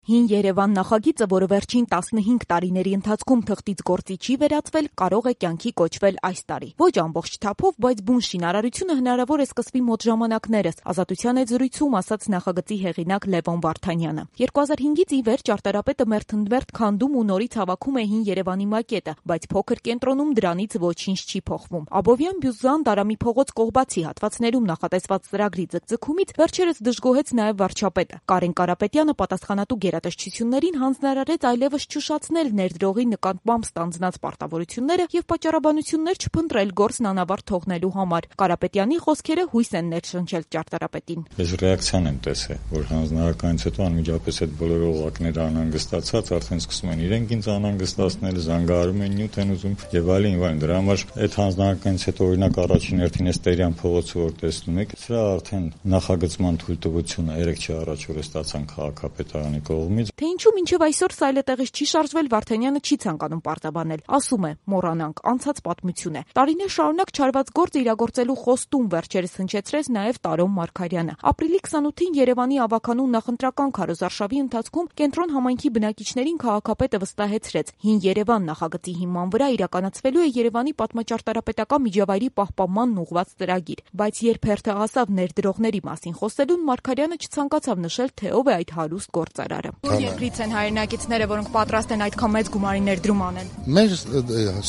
Հին Երևան նախագիծը, որը վերջին 15 տարիների ընթացքում թղթից գործի չի վերածվել, կարող է կյանքի կոչվել այս տարի։ Ոչ ամբողջ թափով, բայց բուն շինարարությունը հնարավոր է սկսվի մոտ ժամանակներս, Ազատության հետ զրույցում ասաց նախագծի հեղինակ Լևոն Վարդանյանը։ 2005-ից ի վեր ճարտարապետը մերթընդմերթ քանդում ու նորից հավաքում է Հին Երևանի մակետը, բայց փոքր կենտրոնում դրանից ոչինչ չի փոխվում։ Աբովյան, Բյուզան, Դարամի փողոց կողբացի հատվածներում նախատեսված ծրագրի ձգձգումից վերջերս դժգոհեց նաև վարչապետը։ Կարեն Կարապետյանը պատասխանատու գերատեսչություններին հանձնարարեց այլևս չուշացնել ներդրողի նկատմամբ ստանձնած պարտավորությունները եւ պատճառաբանություններ չփնտրել գործն անավարտ թողնելու համար։ Կարապետյանի խոսքերը հույս են ներշնչել ճարտարապետին։ Ես ռեակցիան եմ տեսել, որ հանձնարարականից հետո անմիջապես այդ բոլոր օղակները անհանգստացած արդեն սկսում են իրենք ինձ անհանգստացնել, զանգահարում են նյութ են ուզում եւ այլն։ Դրա համար այդ հանձնարարականից հետո օրինակ առաջին հերթին էս Տերյան փողոցը որ տեսնում եք, սա արդեն նախագծման թույլտվությունը 3 չի առաջ որ ստացան քաղաքապետարանի կողմից։ Թե ինչու մինչև այսօր սայլետեղից չի շարժվել, Վարդանյանը չի ցանկանում պարտաբանել։ Ասում է՝ մոռանանք, անցած պատմություն է։ Տարիներ շարունակ չարված գործ իրագործելու խոստում վերջերս հնչեցրեց նաև Տարոն Մարգարյանը։ Ապրիլի 28-ին Երևանի ավականու նախընտրական քարոզարշավի ընթացքում կենտրոն համայնքի բնակիչներին քաղաքապետը վստահեցրեց՝ Հին Երևան նախագծի հիման վրա իրականացվելու է Երևանի պատմաճարտարապետական միջավայրի պահպանմանն ուղղված ծրագիր։ Բայց երբ հերթը հասավ ներդրողների մասին խոսելուն, Մարգարյանը չցանկացավ նշել, թե ով է այդ հարուստ գործարարը։ Որ երկրից են հայրենակիցները, որոնք պատրաստ են այդքան մեծ գումարի ներդրում անել։ Մեր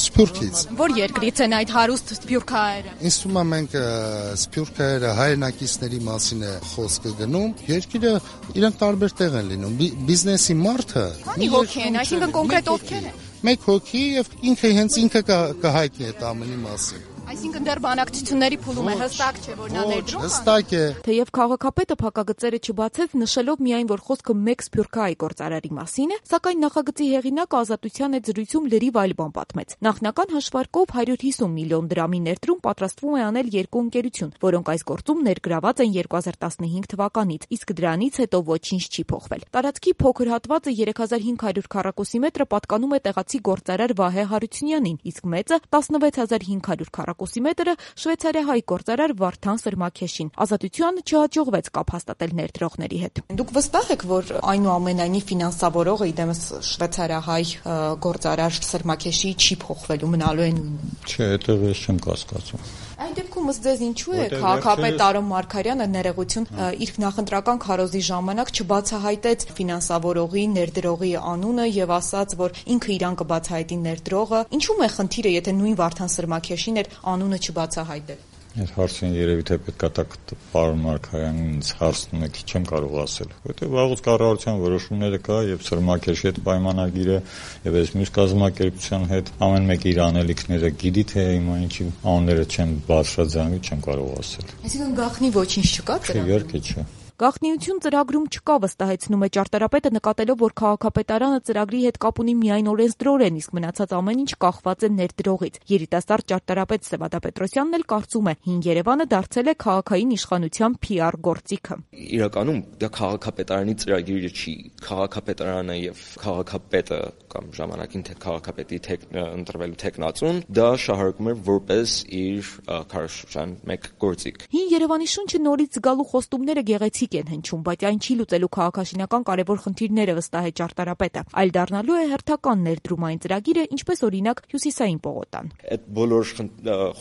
Սփյուռքից։ Որ երկրից են այդ հարուստ սփյուռքահայերը։ Ինձ թվում է մենք սփյուռքահայերը հայրենակիցների մասին է խոսքը գնում։ Երկիրը իրանք տարբեր տեղ են լինում։ Բիզնեսի մարդը մի հոգի են, այսինքն կոնկրետ ովքեր են։ Մեկ հոգի եւ ինքը կհայտնի այդ ամենի մասին։ Այսինքն դեռ բանակցությունների փուլում է, հստակ չէ, որ նա ներդրում է։ Հստակ է։ Թեև քաղաքապետը փակագծերը չբացեց, նշելով միայն, որ խոսքը մեկ սփյուռքահայ գործարարի մասին է, սակայն նախագծի հեղինակը Ազատության հետ զրույցում լրիվ այլ բան պատմեց։ Նախնական հաշվարկով 150 միլիոն դրամի ներդրում պատրաստվում է անել երկու ընկերություն, որոնք այս գործում ներգրաված են 2015 թվականից, իսկ դրանից հետո ոչինչ չի փոխվել։ Տարածքի փոքր հատվածը 3500 քառակուսի մետրը պատկանում է տեղացի գործարար Վահե Հարությունյանին, իսկ մեծը 16500 քառակուսի մետրը շվեյցարիահայ գործարար Վարդան Սրմաքեշին։ Ազատությանը չհաջողվեց կապ հաստատել ներդրողների հետ։ Դուք վստահ եք, որ այնուամենայնիվ ֆինանսավորողը իդեմս շվեյցարիահայ գործարար Սրմաքեշի չի փոխվելու, մնալու են։ Չէ, այդտեղ ես չեմ կասկածում։ Այդ դեպքում ըստ ձեզ ինչու է քաղաքապետ Տարոն Մարգարյանը ներողություն իր նախընտրական քարոզի ժամանակ չբացահայտեց ֆինանսավորողի, ներդրողի անունը եւ ասաց, որ ինքը իրան կբացահայտի ներդրողը։ Ինչու՞մ է խնդիրը, եթե նույն Վարդան Սրմաքեշին էր անունը չբացահայտել։ Այդ հարցին երևի թե պետք է տակ պարոն Մարգարյանին ինձ հարցնում եք, չեմ կարող ասել, որտեղ վաղուց կառավարության որոշումները կա եւ Սրմաքեշի հետ պայմանագիրը եւ այս մյուս կազմակերպության հետ ամեն մեկ իր անելիքները գիտի, թե հիմա ինչի անունները չեն բարձրաձայնվի, չեմ կարող ասել։ Այսինքն գաղտնի ոչինչ չկա դրա։ Իհարկե չէ։ Գաղտնիություն ծրագրում չկա, վստահեցնում է ճարտարապետը, նկատելով, որ քաղաքապետարանը ծրագրի հետ կապ ունի միայն օրենսդրորեն, իսկ մնացած ամեն ինչ կախված է ներդրողից։ Երիտասարդ ճարտարապետ Սևադա Պետրոսյանն էլ կարծում է, Հին Երևանը դարձել է քաղաքային իշխանության PR գործիքը։ Իրականում դա քաղաքապետարանի ծրագիրը չի, քաղաքապետարանը եւ քաղաքապետը կամ ժամանակին թե քաղաքապետի ընտրվելու տեխնացուն դա շահարկում է որպես իր քարոզչության մեկ գործիք։ Հին Երևանի շունչը նորից զգալու խոստումները գեղեցիկ են հնչում, բայց այն չի լուծելու քաղաքաշինական կարևոր խնդիրները, վստահ է ճարտարապետը, այլ դառնալու է հերթական ներդրումային ծրագիրը, ինչպես օրինակ Հյուսիսային պողոտան։ Այդ բոլոր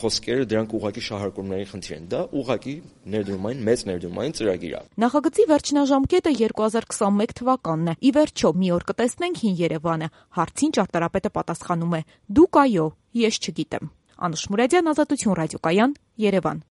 խոսքերը դրանք ուղղակի շահարկումների խնդիր են, դա ուղղակի ներդրումային մեծ ներդրումային ծրագիր է։ Նախագծի վերջնաժամկետը 2021 թվականն է։ Ի վերջո մի օր կտեսնենք Հին Երևանը։ Հարցին ճարտարապետը պատասխանում է. Դուք այո, ես չգիտեմ։ Անուշ Մուրադյան, Ազատություն ռադիոկայան, Երևան։